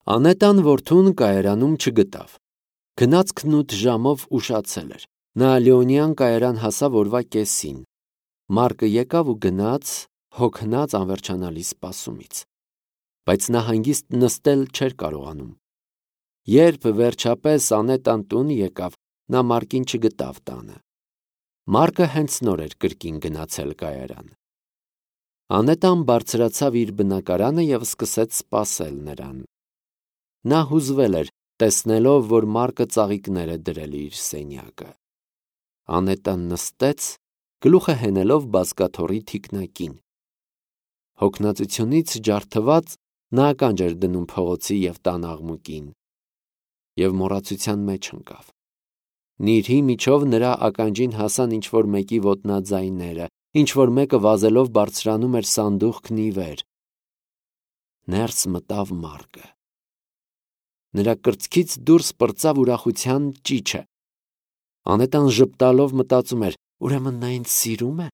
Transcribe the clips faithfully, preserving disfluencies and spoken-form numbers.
Անետան որդուն կայարանում չգտավ։ Գնացքն ութ ժամով ուշացել էր։ Նա Լեոնյան կայարան հասավ օրվա կեսին։ Մարկը եկավ ու գնաց, հոգնած անվերջանալի սպասումից։ Բայց նա հանգիստ նստել չէր կարողանում։ Երբ վերջապես Անետան տուն եկավ, նա Մարկին չգտավ տանը։ Մարկը հենց նոր էր կրկին գնացել կայարան։ Անետան բարձրացավ իր բնակարանը և սկսեց սպասել նրան։ Նա հուզվել էր, տեսնելով, որ Մարկը ծաղիկներ է դրել իր սենյակը։ Անետան նստեց, գլուխը հենելով բազկաթոռի թիկնակին։ Հոգնածությունից ջարդված նա ականջ էր դնում փողոցի և տան աղմուկին և մոռացության մեջ ընկավ։ Նիրհի միջով նրա ականջին հասան ինչ-որ մեկի ոտնաձայները, ինչ-որ մեկը վազելով բարձրանում էր սանդուղքն ի վեր։ Ներս մտավ Մարկը։ Նրա կրծքից դուրս պրծավ ուրախության ճիչը։ Անետան ժպտալով մտածում էր. ուրեմն նա ինձ սիրում է։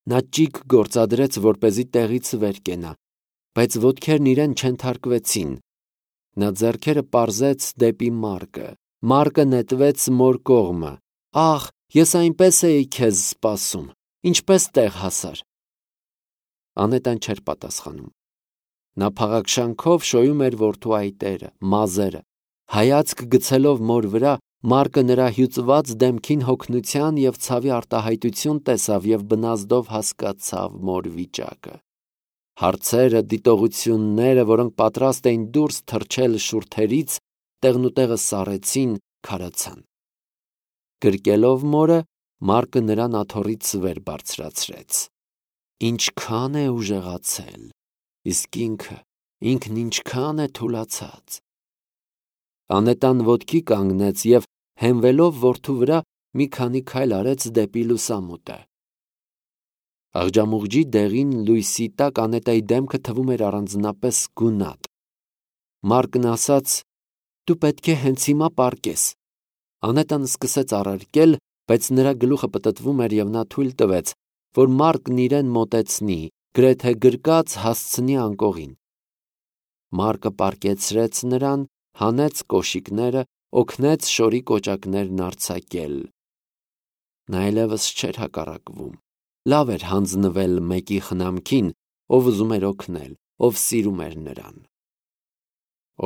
Նա ճիգ գործադրեց, որպեսզի տեղից վեր կենա, բայց ոտքերն իրեն չենթարկվեցին։ Նա ձեռքերը պարզեց դեպի Մարկը։ Մարկը նետվեց մոր կողմը։ Ախ, ես այնպես էի քեզ սպասում, ինչպես տեղ հասար։ Անետան չէր պատասխանում։ Նա փաղաքշանքով շոյում էր որդու այտերը, մազերը։ Հայացք գցելով մոր վրա, Մարկը նրա հյուծված դեմքին հոգնության և ցավի արտահայտություն տեսավ և բնազդով հասկացավ մոր վիճակը։ Հարցերը, դիտողությունները, որոնք պատրաստ էին դուրս թռչել շուրթերից, տեղնուտեղը սառեցին, քարացան։ Գրկելով մորը, Մարկը նրան աթոռից վեր բարձրացրեց։ Ինչքան է ուժեղացել, իսկ ինքը, ինքն ինչքան է թուլացած։ Անետան ոտքի կանգնեց և, հենվելով որդու վրա, մի քանի քայլ արեց դեպի լուսամուտը։ Աղջամուղջի դեղին լույսի տակ Անետայի դեմքը թվում էր առանձնապես գունատ։ Մարկն ասաց. «Դու պետք է հենց հիմա պառկես»։ Անետան սկսեց առարկել, բայց նրա գլուխը պտտվում էր և նա թույլ տվեց, որ Մարկն իրեն մոտեցնի, գրեթե գրկած հասցնի անկողին։ Մարկը պառկեցրեց նրան, հանեց կոշիկները, օգնեց շորի կոճակներն արձակել։ Նա այլևս չէր հակառակվում։ Լավ էր հանձնվել մեկի խնամքին, ով ուզում էր օգնել, ով սիրում էր նրան։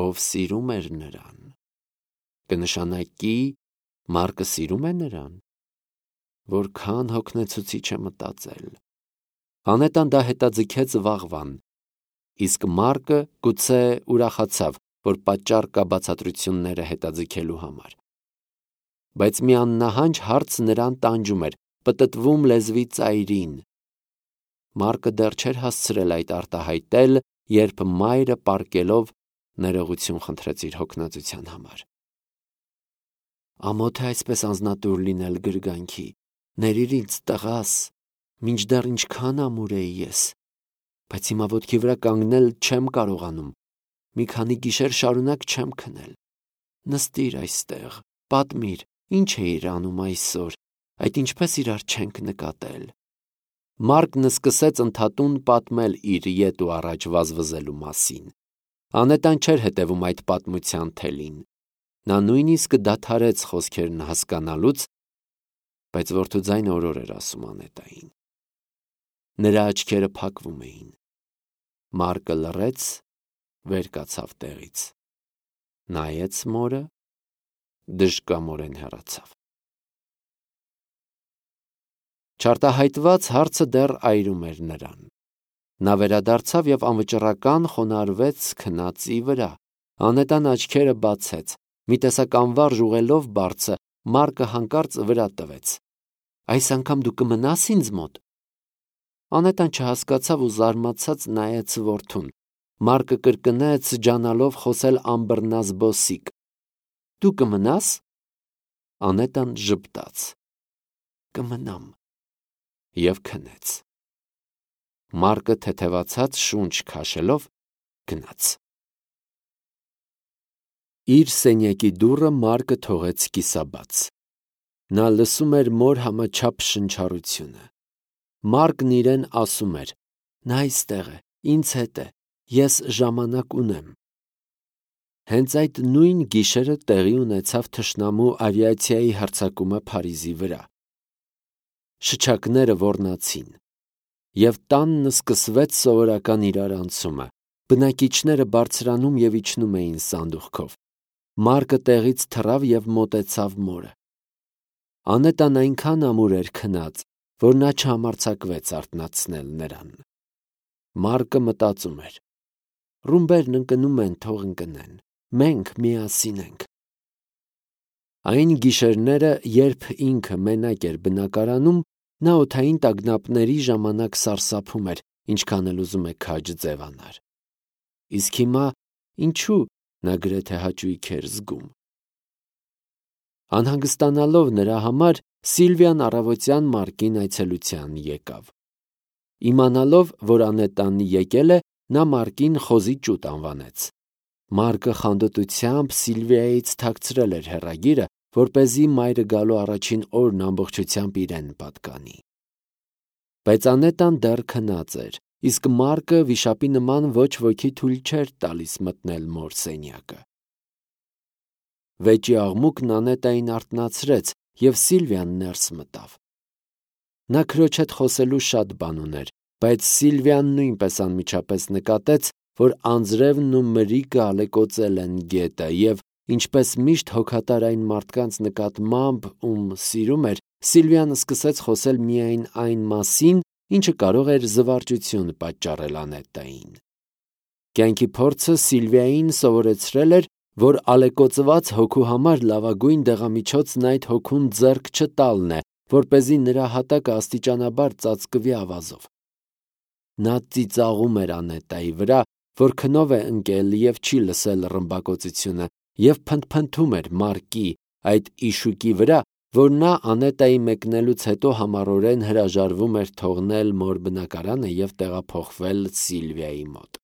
Ով սիրում էր նրան։ Կնշանակի Մարկը սիրում է նրան։ Որքան հոգնեցուցիչ է մտածել։ Անետան դա հետաձգեց վաղվան, իսկ Մարկը գուցե ուրախացավ, որ պատճառ կա բացատրությունները հետաձգելու համար։ Բայց մի աննահանջ հարց նրան տանջում էր, պտտվում լեզվի ծայրին։ Մարկը դեռ չէր հասցրել այդ արտահայտել, երբ մայրը պառկելով ներողություն խնդրեց իր հոգնածության համար։ Ամոթ է այսպես անձնատուր լինել գրգանքի։ Ներիր ինձ, տղաս, մինչդեռ ինչքան ամուր էի ես, բայց հիմա ոտքի վրա կանգնել չեմ կարողանում։ Մի քանի գիշեր շարունակ չեմ քնել։ Նստիր այստեղ, պատմիր, ինչ էիր անում այսօր, այդ ինչպես իրար չենք նկատել։ Մարկն սկսեց ընդհատուն պատմել իր ետ ու առաջ վազվզելու մասին։ Անետան չէր հետևում այդ պատմության թելին։ Նա նույնիսկ դադարեց խոսքերն հասկանալուց, բայց որդու ձայնը օրոր էր ասում Անետային։ Նրա աչքերը փակվում էին։ Մարկը լռեց, վեր կացավ տեղից։ Նայեց մորը, դժկամորեն հեռացավ։ Չարտահայտված հարցը դեռ այրում էր նրան։ Նա վերադարձավ և անվճռական խոնարհվեց քնածի վրա։ Անետան աչքերը բացեց։ Մի տեսակ անվարժ ուղելով բարձը, Մարկը հանկարծ վրա տվեց։ Այս անգամ դու կմնա՞ս ինձ մոտ։ Անետան չհասկացավ ու զարմացած նայեց որդուն։ Մարկը կրկնեց, ջանալով խոսել անբռնազբոսիկ. Դու կմնա՞ս։ Անետան ժպտաց. Կմնամ։ Եվ քնեց։ Մարկը թեթևացած շունչ քաշելով գնաց։ Իր սենյակի դուռը Մարկը թողեց կիսաբաց։ Նա լսում էր մոր համաչափ շնչառությունը։ Մարկն իրեն ասում էր. նա այստեղ է, ինձ հետ է, ես ժամանակ ունեմ։ Հենց այդ նույն գիշերը տեղի ունեցավ թշնամու ավիացիայի հարձակումը Փարիզի վրա։ Շչակները ոռնացին, և տանն սկսվեց սովորական իրարանցումը։ Բնակիչները բարձրանում և իջնում էին սանդուղքով։ Մարկը տեղից թռավ և մոտեցավ մորը։ Անետան այնքան ամուր էր քնած, որ նա չհամարձակվեց արթնացնել նրան։ Մարկը մտածում էր. «Ռումբերն ընկնում են, թող ընկնեն, մենք միասին ենք»։ Այն գիշերները, երբ ինքը մենակ էր բնակարանում, նա օդային տագնապների ժամանակ սարսափում էր, ինչքան էլ ուզում է քաջ ձևանար։ Իսկ հիմա ինչու՞ նա գրեթե հաճույք էր զգում։ Անհանգստանալով նրա համար, Սիլվիան առավոտյան Մարկին այցելության եկավ։ Իմանալով, որ Անետան եկել է, նա Մարկին խոզի ճուտ անվանեց։ Մարկը խանդոտությամբ Սիլվիայից թաքցրել էր հեռագիրը, որպեսզի մայրը գալու առաջին օրն ամբողջությամբ իրեն պատկանի։ Բայց Անետան դեռ քնած էր, իսկ Մարկը վիշապի նման ոչ ոքի թույլ չէր տալիս մտնել մոր սենյակը։ Վեճի աղմուկն Անետային արթնացրեց, և Սիլվիան ներս մտավ։ Նա քրոջ հետ խոսելու շատ բան ուներ, բայց Սիլվիան նույնպես անմիջապես նկատեց, որ անձրևն ու մրրիկը ալեկոծել են գետը, և, ինչպես միշտ հոգատար այն մարդկանց նկատմամբ, ում սիրում էր, Սիլվիան սկսեց խոսել միայն այն մասին, ինչը կարող էր զվարճություն պատճառել Անետային։ Կյանքի փորձը Սիլվիային սովորեցրել էր, որ ալեկոծված հոգու համար լավագույն դեղամիջոցն այդ հոգուն ձեռք չտալն է, որպեսզի նրա հատակը աստիճանաբար ծածկվի ավազով։ Նա ծիծաղում էր Անետայի վրա, որ քնով է ընկել և չի լսել ռմբակոծությունը, և փնթփնթում էր Մարկի, այդ իշուկի վրա, որ նա Անետայի մեկնելուց հետո համառորեն հրաժարվում էր թողնել մոր բնակարանը և տեղափոխվել Սիլվիայի մոտ։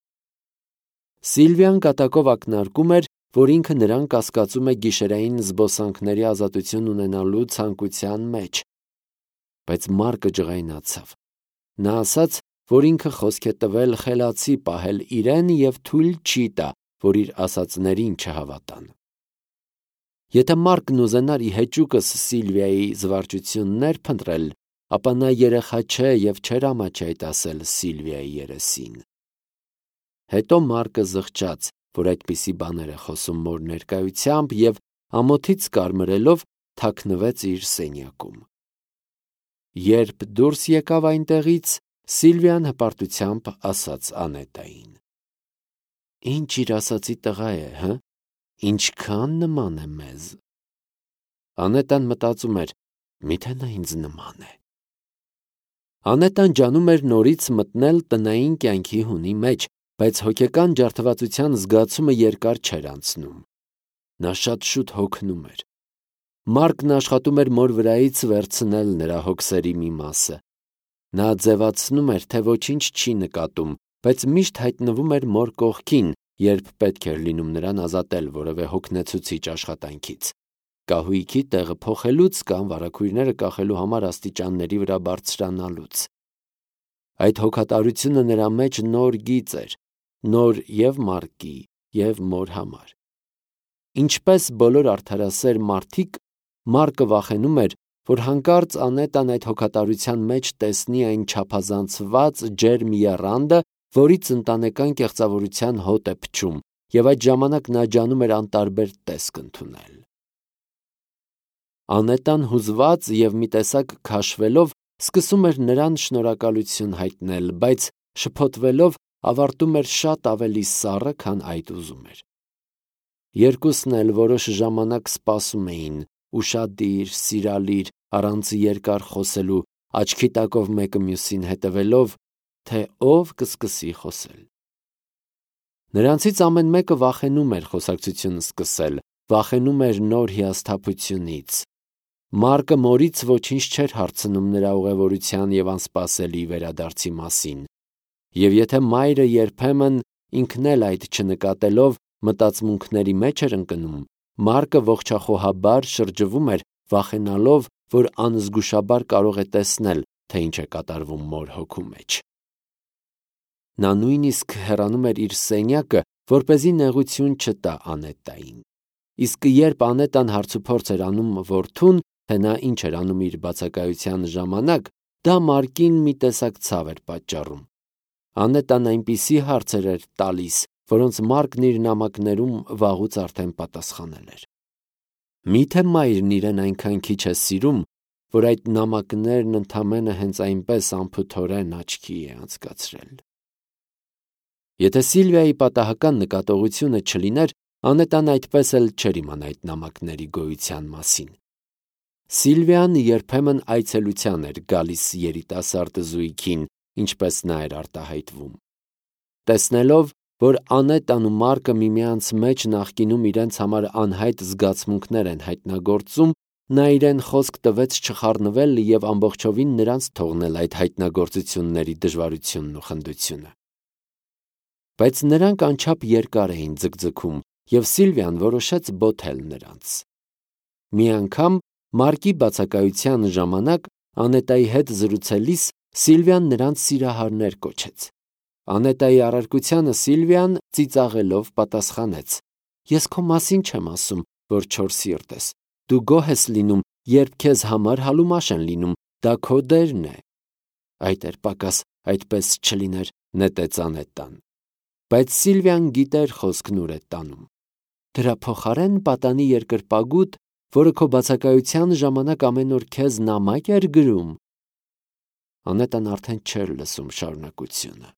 Սիլվիան կատակով ակնարկում էր, որ ինքը նրան կասկածում է գիշերային զբոսանքների ազատություն ունենալու ցանկության մեջ։ Բայց Մարկը ջղայնացավ։ Նա ասաց, որ ինքը խոսք է տվել խելացի պահել իրեն և թույլ չի տա, որ իր ասածներին չհավատան։ Եթե Մարկն ուզենար ի հեճուկս Սիլվիայի զվարճություններ փնտրել, ապա նա երեխա չէ և չէր ամաչի այդ ասել Սիլվիայի երեսին։ Հետո Մարկը զղջաց, որ այդպիսի բաներ է խոսում մոր ներկայությամբ, և ամոթից կարմրելով թաքնվեց իր սենյակում։ Երբ դուրս եկավ այնտեղից, Սիլվիան հպարտությամբ ասաց Անետային. «Ինչ իր ասացի տղա է, հը՞, ինչքան նման է մեզ»։ Անետան մտածում էր. «Միթե նա ինձ նման է»։ Անետան ջանում էր նորից մտնել տնային կյանքի հունի մեջ, բայց հոգեկան ջարդվածության զգացումը երկար չէր անցնում։ Նա շատ շուտ հոգնում էր։ Մարկն աշխատում էր մոր վրայից վերցնել նրա հոգսերի մի մասը։ Նա ձևացնում էր, թե ոչինչ չի նկատում, բայց միշտ հայտնվում էր մոր կողքին, երբ պետք էր լինում նրան ազատել որևէ հոգնեցուցիչ աշխատանքից՝ կահույքի տեղը փոխելուց կամ վարագույրները կախելու համար աստիճանների վրա բարձրանալուց։ Այդ հոգատարությունը նրա մեջ նոր գիծ էր, նոր և Մարկի, և մոր համար։ Ինչպես բոլոր արդարասեր մարդիկ, Մարկը վախենում էր, որ հանկարծ Անետան այդ հոգատարության մեջ տեսնի այն չափազանցված ջերմ եռանդը, որից ընտանեկան կեղծավորության հոտ է փչում, և այդ ժամանակ նա ջանում էր անտարբեր տեսք ընդունել։ Անետան հուզված և մի տեսակ քաշվելով սկսում էր նրան շնորհակալություն հայտնել, բայց շփոթվելով ավարտում էր շատ ավելի սառը, քան այդ ուզում էր։ Երկուսն էլ որոշ ժամանակ սպասում էին, ուշադիր, սիրալիր, առանց երկար խոսելու, աչքի տակով մեկը մյուսին հետևելով, թե ով կսկսի խոսել։ Նրանցից ամեն մեկը վախենում էր խոսակցություն սկսել, վախենում էր նոր հիասթափությունից։ Մարկը մորից ոչինչ չէր հարցնում նրա ուղևորության և անսպասելի վերադարձի մասին։ Եվ եթե մայրը երբեմն, ինքն էլ այդ չնկատելով, մտածմունքների մեջ էր ընկնում, Մարկը ողջախոհաբար շրջվում էր, վախենալով, որ անզգուշաբար կարող է տեսնել, թե ինչ է կատարվում մոր հոգու մեջ։ Նա նույնիսկ հեռանում էր իր սենյակը, որպեսզի նեղություն չտա Անետային։ Իսկ երբ Անետան հարցուփորձ էր անում որդուն, թե նա ինչ էր անում իր բացակայության ժամանակ, դա Մարկին մի տեսակ ցավ էր պատճառում։ Անետան այնպիսի հարցեր էր տալիս, որոնց Մարկն իր նամակներում վաղուց արդեն պատասխանել էր։ Միթե մայրն իրեն այնքան քիչ է սիրում, որ այդ նամակներն ընդամենը հենց այնպես անփութորեն աչքի է անցկացրել։ Եթե Սիլվիայի պատահական նկատողությունը չլիներ, Անետան այդպես էլ չէր իմանա այդ նամակների գոյության մասին։ Սիլվիան երբեմն այցելության էր գալիս երիտասարդ զույգին, ինչպես նա էր արտահայտվում։ Տեսնելով, որ Անետան ու Մարկը միմյանց մեջ նախկինում իրենց համար անհայտ զգացմունքներ են հայտնագործում, նա իրեն խոսք տվեց չխառնվել և ամբողջովին նրանց թողնել այդ հայտնագործությունների դժվարությունն ու խնդությունը։ Բայց նրանք անչափ երկար էին ձգձգում, և Սիլվիան որոշեց բոթել նրանց։ Մի անգամ Մարկի բացակայության ժամանակ Անետայի հետ զրուցելիս Սիլվիան նրանց սիրահարներ կոչեց։ Անետայի առարկությանը Սիլվիան ծիծաղելով պատասխանեց. «Ես քո մասին չեմ ասում, որ չոր սիրտ ես։ Դու գոհ ես լինում, երբ քեզ համար հալումաշ են լինում, դա քո դերն է»։ Այդ էր պակաս, այդպես չլիներ, նետեց Անետան։ Բայց Սիլվիան գիտեր խոսքն ուր է տանում։ Դրա փոխարեն պատանի երկրպագուտ, որը քո բացակայության ժամանակ ամեն օր քեզ նամակ էր գրում։ Անետան արդեն չէր լսում շարունակությունը։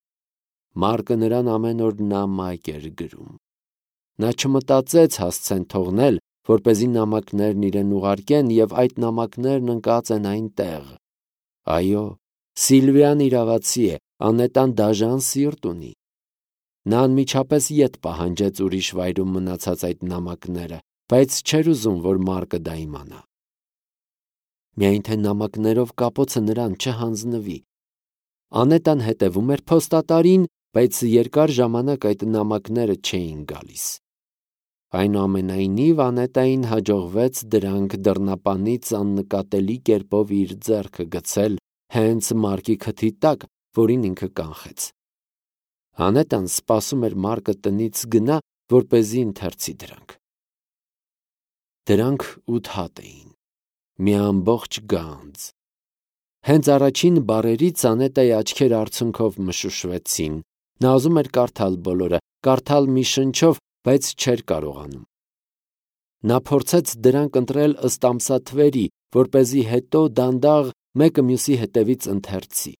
Մարկը նրան ամեն օր նամակ էր գրում։ Նա չմտածեց հասցեն թողնել, որպեսզի նամակներն իրեն ուղարկեն, և այդ նամակներն ընկած են այնտեղ։ Այո, Սիլվիան իրավացի է, Անետան դաժան սիրտ ունի։ Նա անմիջապես ետ պահանջեց ուրիշ վայրում մնացած այդ նամակները, բայց չէր ուզում, որ Մարկը դա իմանա։ Միայն թե նամակներով կապոցը նրան չհանձնվի։ Անետան հետևում էր փոստատարին, բայց երկար ժամանակ այդ նամակները չէին գալիս։ Այնուամենայնիվ Անետային հաջողվեց դրանք դռնապանից աննկատելի կերպով իր ձեռքը գցել հենց Մարկի քթի տակ, որին ինքը կանխեց։ Անետան սպասում էր Մարկը տնից գնա, որպեսզի ընթերցի դրանք։ Դրանք ութ հատ էին, մի ամբողջ գանձ։ Հենց առաջին բառերից Անետայի աչքերը արցունքով մշուշվեցին։ Նա ուզում էր կարդալ բոլորը, կարդալ մի շնչով, բայց չէր կարողանում։ Նա փորձեց դրանք ընտրել ըստ ամսաթվերի, որպեսզի հետո դանդաղ մեկը մյուսի հետևից ընթերցի։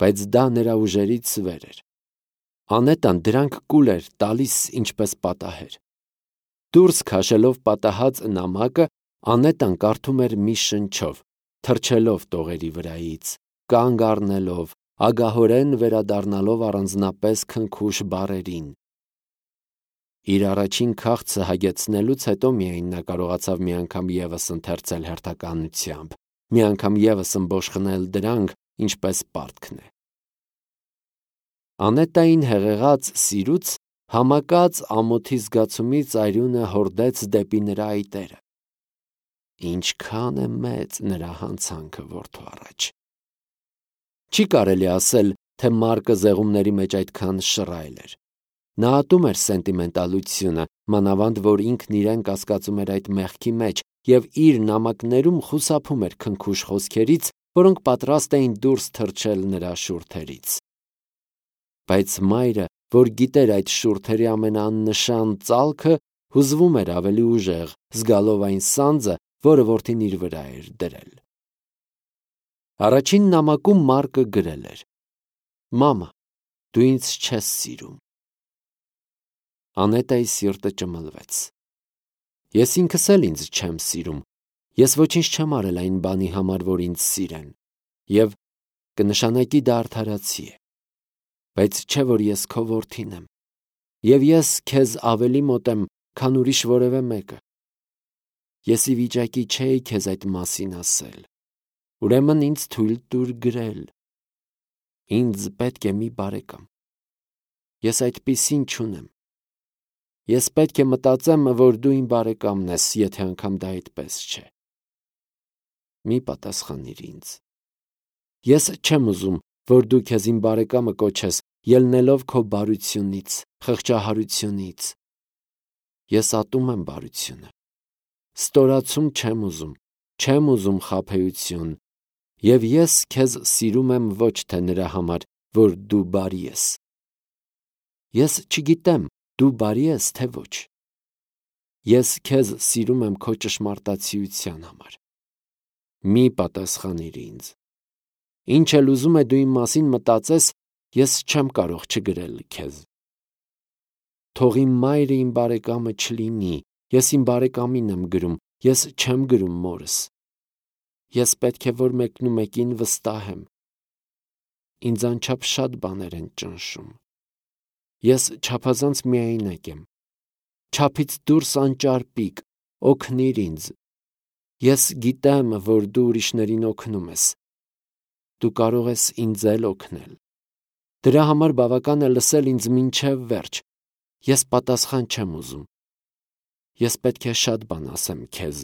Բայց դա նրա ուժերից վեր էր։ Անետան դրանք կուլ էր տալիս ինչպես պատահեր։ Դուրս քաշելով պատահած նամակը, Անետան կարդում էր մի շնչով, թռչելով տողերի վրայից, կանգ առնելով, ագահորեն վերադառնալով առանձնապես քնքուշ բառերին։ Իր առաջին քաղցը հագեցնելուց հետո միայն նա կարողացավ մի անգամ ևս ընթերցել հերթականությամբ, մի անգամ ևս ըմբոշխնել դրանք, ինչպես պարտքն է։ Անետային հեղեղած սիրուց համակած ամոթի զգացումից արյունը հորդեց դեպի նրա այտերը։ Ինչքան է մեծ նրա հանցանքը որդու առաջ։ Չի կարելի ասել, թե Մարկը զեղումների մեջ այդքան շռայլ էր։ Նա ատում էր սենտիմենտալությունը, մանավանդ որ ինքն իրեն կասկածում էր այդ մեղքի մեջ և իր նամակներում խուսափում էր քնքուշ խոսքերից, որոնք պատրաստ էին դուրս թռչել նրա շուրթերից։ Բայց մայրը, որ գիտեր այդ շուրթերի ամենաաննշան ծալքը, հուզվում էր ավելի ուժեղ, զգալով այն սանձը, որը որդին իր վրա էր դրել։ Առաջին նամակում Մարկը գրել էր. «Մամա, դու ինձ չես սիրում»։ Անետայի սիրտը ճմլվեց։ Ես ինքս էլ ինձ չեմ սիրում։ Ես ոչինչ չեմ արել այն բանի համար, որ ինձ սիրեն, և կնշանակի դա արդարացի է։ Բայց չէ որ ես քո որդին եմ, և ես քեզ ավելի մոտ եմ, քան ուրիշ որևէ մեկը։ Ես ի վիճակի չէի քեզ այդ մասին ասել, ուրեմն ինձ թույլ տուր գրել։ Ինձ պետք է մի բարեկամ։ Ես այդպիսին չունեմ։ Ես պետք է մտածեմ, որ դու իմ բարեկամն ես, եթե անգամ դա այդպես չէ։ Մի պատասխանիր ինձ։ Ես չեմ ուզում, որ դու քեզ իմ բարեկամը կոչես, ելնելով քո բարությունից, խղճահարությունից։ Ես ատում եմ բարությունը։ Ստորացում չեմ ուզում, չեմ ուզում խաբեություն, և ես քեզ սիրում եմ ոչ թե նրա համար, որ դու բարի ես։ Ես չգիտեմ, դու բարի ես, թե ոչ։ Ես քեզ սիրում եմ քո ճշմարտացիության համար։ Մի պատասխանիր ինձ։ Ինչ էլ ուզում է դու իմ մասին մտածես, ես չեմ կարող չգրել քեզ։ Թող իմ մայրը իմ բարեկամը չլինի, ես իմ բարեկամին եմ գրում, ես չեմ գրում մորս։ Ես պետք է որ մեկնումեկին վստահեմ։ Ինձ անչափ շատ բաներ են ճնշում։ Ես չափազանց միայնակ եմ։ Չափից դուրս անճարպիկ, օգնիր ինձ։ Ես գիտեմ, որ դու ուրիշներին օգնում ես։ Դու կարող ես ինձ էլ օգնել։ Դրա համար բավական է լսել ինձ մինչև վերջ։ Ես պատասխան չեմ ուզում։ Ես պետք է շատ բան ասեմ քեզ։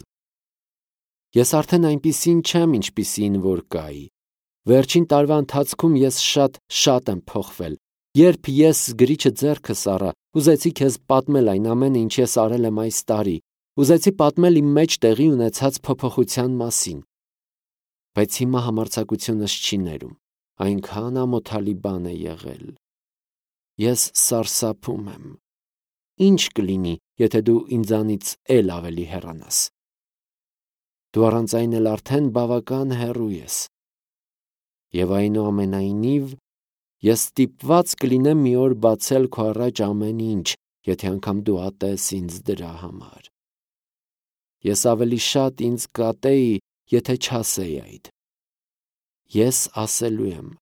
Ես արդեն այնպիսին չեմ, ինչպիսին որ կայի։ Վերջին տարվա ընթացքում ես շատ-շատ եմ փոխվել։ Երբ ես գրիչը ձեռքս առա, ուզեցի քեզ պատմել այն ամենը, ինչ ես արել եմ այս տարի, ուզեցի պատմել իմ մեջ տեղի ունեցած փոփոխության մասին։ Բայց հիմա համարձակությունս չի ներում, այնքան ամոթալի բան է եղել։ Ես սարսափում եմ։ Ինչ կլինի, եթե դու ինձանից էլ ավելի հեռանաս։ Դու առանց այն էլ արդեն բավական հեռու ես։ Եվ այնուամենայնիվ, ես ստիպված կլինեմ մի օր բացել քո առաջ ամեն ինչ, եթե անգամ դու ատես ինձ դրա համար։ Ես ավելի շատ ինձ կատեի, եթե չասեի այդ։ Ես ասելու եմ։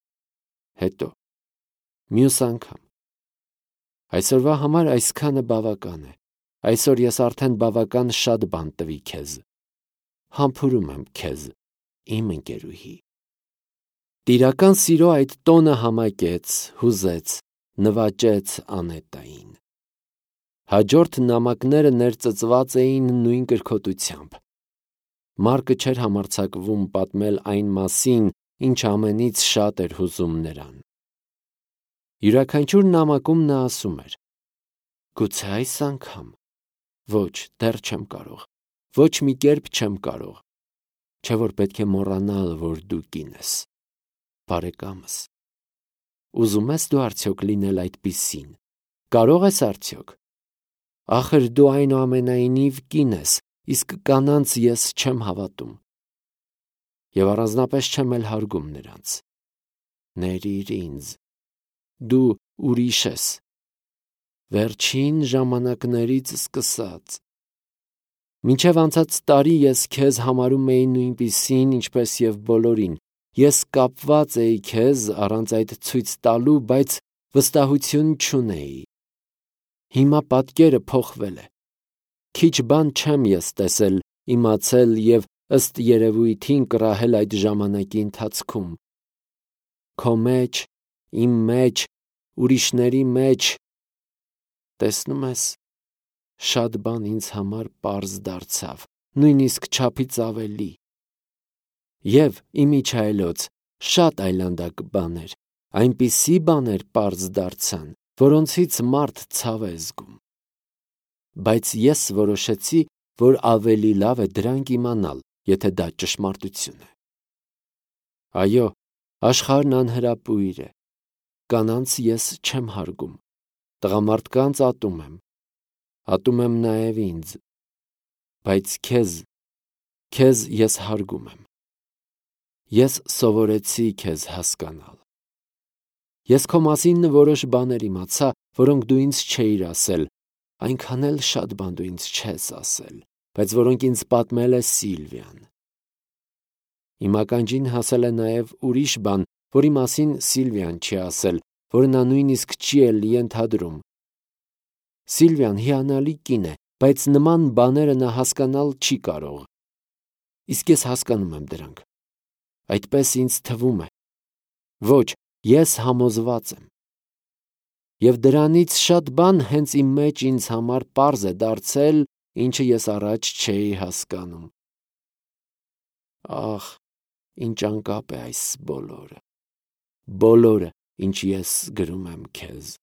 Հետո։ Մյուս անգամ։ Այսօրվա համար այսքանը բավական է։ Այսօր ես արդեն բավական շատ բան տվի քեզ։ Համբուրում եմ քեզ, իմ ընկերուհի։ Տիրական սիրո այդ տոնը համակեց, հուզեց, նվաճեց Անետային։ Հաջորդ նամակները ներծծված էին նույն կրքոտությամբ։ Մարկը չէր համարձակվում պատմել այն մասին, ինչ ամենից շատ էր հուզում նրան։ Յուրաքանչյուր նամակում նա ասում էր. «Գուցե այս անգամ։ Ոչ, դեռ չեմ կարող։ Ոչ մի կերպ չեմ կարող։ Չէ որ պետք է մոռանալ, որ դու կին ես։ Բարեկամս։ Ուզում ես դու արդյոք լինել այդպիսին։ Կարող ես արդյոք։ Ախր դու այնուամենայնիվ կին ես, իսկ կանանց ես չեմ հավատում։ Եվ առանձնապես չեմ էլ հարգում նրանց։ Ներիր ինձ։ Դու ուրիշ ես։ Վերջին ժամանակներից սկսած։ Մինչև անցած տարի ես քեզ համարում էի նույնպիսին, ինչպես և բոլորին։ Ես կապված էի քեզ առանց այդ ցույց տալու, բայց վստահություն չունեի։ Հիմա պատկերը փոխվել է։ Քիչ բան չեմ ես տեսել, իմացել և ըստ երևույթին կռահել այդ ժամանակի ընթացքում։ Քո մեջ, իմ մեջ, ուրիշների մեջ, տեսնում ես, շատ բան ինձ համար պարզ դարձավ, նույնիսկ չափից ավելի։ Եվ, իմիջիայլոց, շատ այլանդակ բաներ, այնպիսի բաներ պարզ դարձան, որոնցից մարդ ցավ է զգում։ Բայց ես որոշեցի, որ ավելի լավ է դրանք իմանալ, եթե դա ճշմարտություն է։ Այո, աշխարհն անհրապույր է։ Կանանց ես չեմ հարգում։ Տղամարդկանց ատում եմ։ Ատում եմ նաև ինձ։ Բայց քեզ, քեզ ես հարգում եմ։ Ես սովորեցի քեզ հասկանալ։ Ես քո մասին որոշ բաներ իմացա, որոնք դու ինձ չէիր ասել, այնքան էլ շատ բան դու ինձ չես ասել, բայց որոնք ինձ պատմել է Սիլվիան։ Իմ ականջին հասել է նաև ուրիշ բան, որի մասին Սիլվիան չի ասել, որը նա նույնիսկ չի էլ ենթադրում։ Սիլվիան հիանալի կին է, բայց նման բաները նա հասկանալ չի կարող։ Իսկ ես հասկանում եմ դրանք։ Այդպես ինձ թվում է։ Ոչ, ես համոզված եմ։ Եվ դրանից շատ բան հենց իմ մեջ ինձ համար պարզ է դարձել, ինչը ես առաջ չէի հասկանում։ Ախ, ինչ անկապ է այս բոլորը։ Բոլորը, ինչ ես գրում եմ քեզ։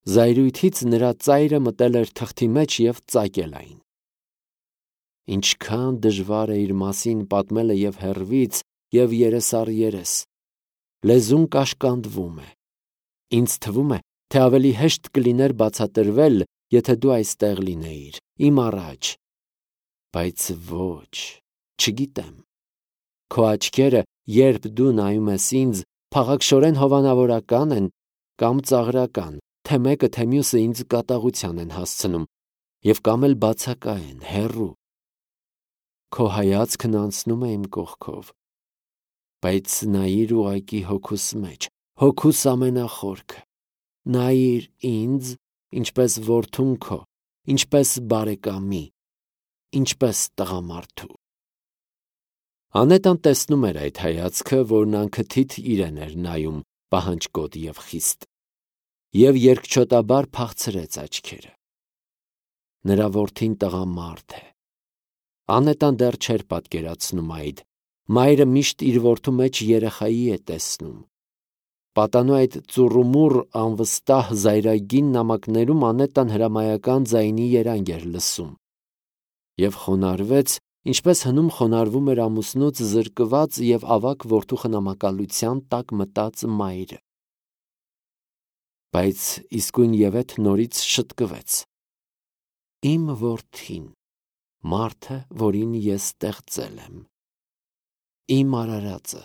Զայրույթից նրա ծայրը մտել էր թղթի մեջ և ծակել այն։ Ինչքան դժվար է իր մասին պատմելը և հեռվից, և երես առ երես։ Լեզուն կաշկանդվում է։ Ինձ թվում է, թե ավելի հեշտ կլիներ բացատրվել, եթե դու այստեղ լինեիր, իմ առաջ։ Բայց ոչ, չգիտեմ։ Քո աչքերը, երբ դու նայում ես ինձ, փաղաքշորեն հովանավորական են կամ ծաղրական, թե մեկը, թե մյուսը ինձ կատաղության են հասցնում, և կամ էլ բացակայ են, հեռու։ Քո հայացքն անցնում է իմ կողքով, բայց նայիր ուղղակի հոգուս մեջ, հոգուս ամենախորքը, նայիր ինձ, ինչպես որդուն քո, ինչպես բարեկամի, ինչպես տղամարդու։ Անետան տեսնում էր այդ հայացքը, որն անքթիթ իրեն էր նայում, պահանջկոտ և խիստ, և երկչոտաբար փախցրեց աչքերը։ Նրա որդին տղամարդ է։ Անետան դեռ չէր պատկերացնում այդ, մայրը միշտ իր որդու մեջ երեխայի է տեսնում։ Պատանու այդ ծուռումուռ անվստահ զայրագին նամակներում Անետան հրամայական ձայնի երանգ էր լսում և խոնարհվեց, ինչպես հնում խոնարհվում էր ամուսնուց զրկված և ավագ որդու խնամակալության տակ մտած մայրը։ Բայց իսկույնևեթ նորից շտկվեց։ Իմ որդին, մարդը, որին ես ստեղծել եմ, իմ արարածը,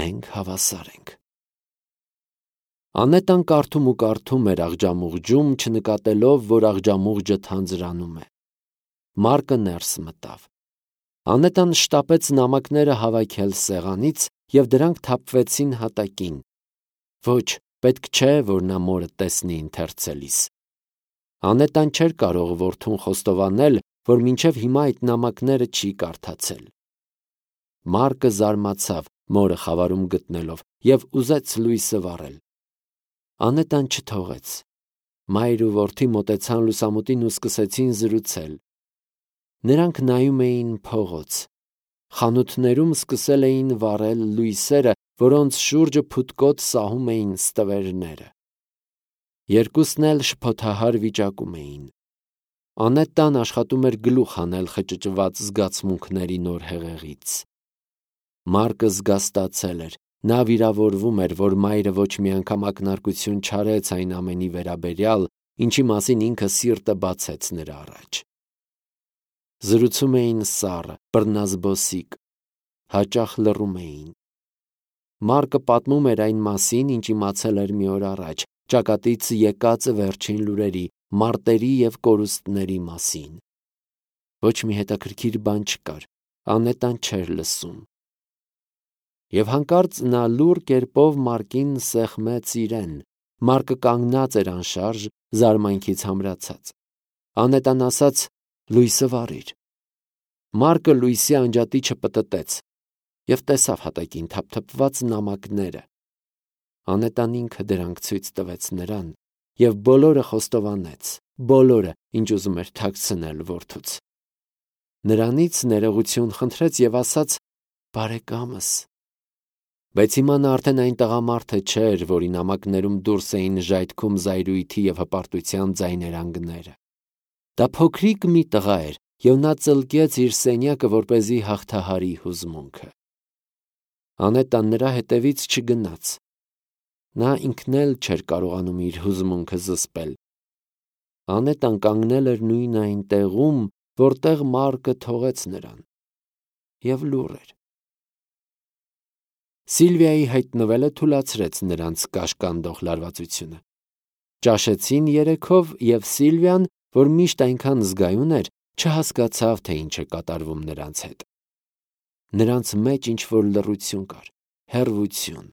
մենք հավասար ենք։ Անետան կարդում ու կարդում էր աղջամուղջում, չնկատելով, որ աղջամուղջը թանձրանում է։ Մարկը ներս մտավ։ Անետան շտապեց նամակները հավաքել սեղանից, և դրանք թափվեցին հատակին։ Ոչ, պետք չէ, որ նա մորը տեսնի ընթերցելիս։ Անետան չէր կարող որդուն խոստովանել, որ մինչև հիմա այդ նամակները չի կարդացել։ Մարկը զարմացավ մորը խավարում գտնելով և ուզեց լույսը վառել։ Անետան չթողեց։ Մայր ու որդի մոտեցան լուսամուտին ու սկսեցին զրուցել։ Նրանք նայում էին փողոց։ Խանութներում սկսել էին վառել լույսերը, որոնց շուրջը փութկոտ սահում էին ստվերները։ Երկուսն էլ շփոթահար վիճակում էին։ Անետան աշխատում էր գլուխ հանել խճճված զգացմունքների նոր հեղեղից։ Մարկը զգաստացել էր, նա վիրավորվում էր, որ մայրը ոչ մի անգամ ակնարկություն չարեց այն ամենի վերաբերյալ, ինչի մասին ինքը սիրտը բացեց նրա առաջ։ Զրուցում էին սառը, բռնազբոսիկ, հաճախ լռում էին։ Մարկը պատմում էր այն մասին, ինչ իմացել էր մի օր առաջ, ճակատից եկած վերջին լուրերի, մարտերի և կորուստների մասին։ Ոչ մի հետաքրքիր բան չկար, Անետան չէր լսում։ Եվ հանկարծ նա լուռ կերպով Մարկին սեղմեց իրեն։ Մարկը կանգնած էր անշարժ, զարմանքից համրացած։ Անետան ասաց. «Լույսը վառիր»։ Մարկը լույսի անջատիչը պտտեց և տեսավ հատակին թափթփված նամակները։ Անետան ինքը դրանք ցույց տվեց նրան և բոլորը խոստովանեց, բոլորը, ինչ ուզում էր թաքցնել որդուց։ Նրանից ներողություն խնդրեց և ասաց. «Բարեկամս»։ Բայց հիմա նա արդեն այն տղամարդը չէր, որի նամակներում դուրս էին ժայթքում զայրույթի և հպարտության ձայներանգները։ Դա փոքրիկ մի տղա էր, և նա ծլկեց իր սենյակը, որպեսզի հաղթահարի հուզմունքը։ Անետան նրա հետևից չգնաց։ Նա ինքն էլ չէր կարողանում իր հուզմունքը զսպել։ Անետան կանգնել էր նույն այն տեղում, որտեղ Մարկը թողեց նրան, և լուռ էր։ Սիլվիայի հայտնվելը թուլացրեց նրանց կաշկանդող լարվածությունը։ Ճաշեցին երեքով, և Սիլվիան, որ միշտ այնքան զգայուն էր, չհասկացավ, թե ինչ է կատարվում նրանց հետ։ Նրանց մեջ ինչ-որ լռություն կար, հեռվություն։